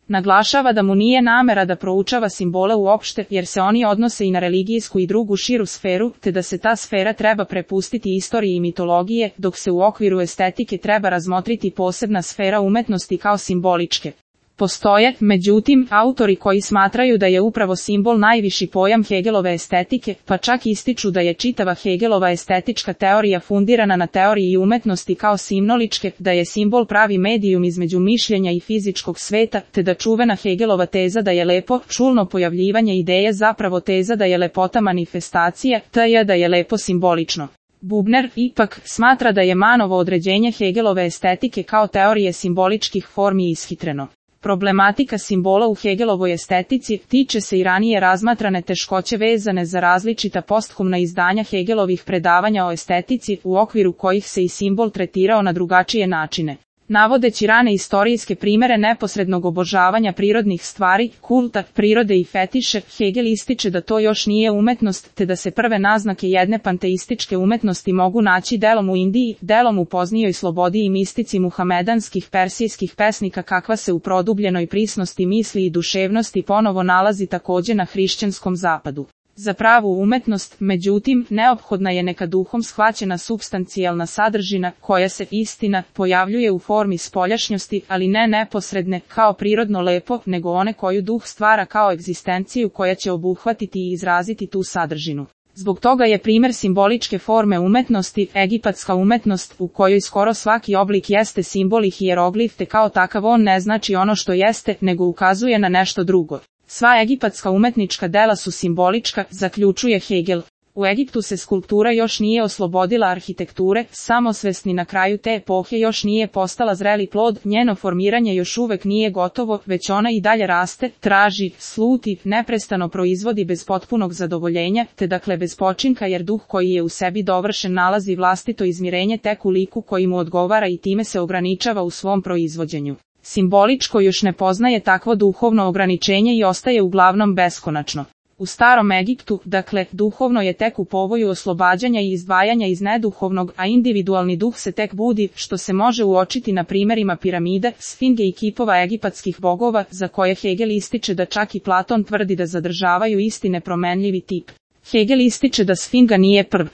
Naglašava da mu nije namera da proučava simbole uopšte, jer se oni odnose i na religijsku i drugu širu sferu, te da se ta sfera treba prepustiti istoriji i mitologije, dok se u okviru estetike treba razmotriti posebna sfera umetnosti kao simboličke. Postoje, međutim, autori koji smatraju da je upravo simbol najviši pojam Hegelove estetike, pa čak ističu da je čitava Hegelova estetička teorija fundirana na teoriji umetnosti kao simnoličke, da je simbol pravi medijum između mišljenja i fizičkog sveta, te da čuvena Hegelova teza da je lepo, čulno pojavljivanje ideje zapravo teza da je lepota manifestacija, te da je lepo simbolično. Bubner, ipak, smatra da je Mannovo određenje Hegelove estetike kao teorije simboličkih formi ishitreno. Problematika simbola u Hegelovoj estetici tiče se i ranije razmatrane teškoće vezane za različita posthumna izdanja Hegelovih predavanja o estetici, u okviru kojih se i simbol tretirao na drugačije načine. Navodeći rane istorijske primere neposrednog obožavanja prirodnih stvari, kulta, prirode i fetiše, Hegel ističe da to još nije umetnost, te da se prve naznake jedne panteističke umetnosti mogu naći delom u Indiji, delom u poznijoj slobodi i mistici muhamedanskih persijskih pesnika, kakva se u produbljenoj prisnosti misli i duševnosti ponovo nalazi takođe na hrišćanskom zapadu. Za pravu umetnost, međutim, neophodna je neka duhom shvaćena supstancijalna sadržina, koja se, istina, pojavljuje u formi spoljašnjosti, ali ne neposredne, kao prirodno lepo, nego one koju duh stvara kao egzistenciju koja će obuhvatiti i izraziti tu sadržinu. Zbog toga je primer simboličke forme umetnosti, egipatska umetnost, u kojoj skoro svaki oblik jeste simbol i hijeroglif, te kao takav on ne znači ono što jeste, nego ukazuje na nešto drugo. Sva egipatska umetnička dela su simbolička, zaključuje Hegel. U Egiptu se skulptura još nije oslobodila arhitekture, samosvesni na kraju te epohe još nije postala zreli plod, njeno formiranje još uvek nije gotovo, već ona i dalje raste, traži, sluti, neprestano proizvodi bez potpunog zadovoljenja, te dakle bez počinka, jer duh koji je u sebi dovršen nalazi vlastito izmirenje tek u liku koji mu odgovara i time se ograničava u svom proizvođenju. Simboličko još ne poznaje takvo duhovno ograničenje i ostaje uglavnom beskonačno. U starom Egiptu, dakle, duhovno je tek u povoju oslobađanja i izdvajanja iz neduhovnog, a individualni duh se tek budi, što se može uočiti na primerima piramide, sfinge i kipova egipatskih bogova, za koje Hegel ističe da čak i Platon tvrdi da zadržavaju isti nepromenljivi tip. Hegel ističe da sfinga nije prv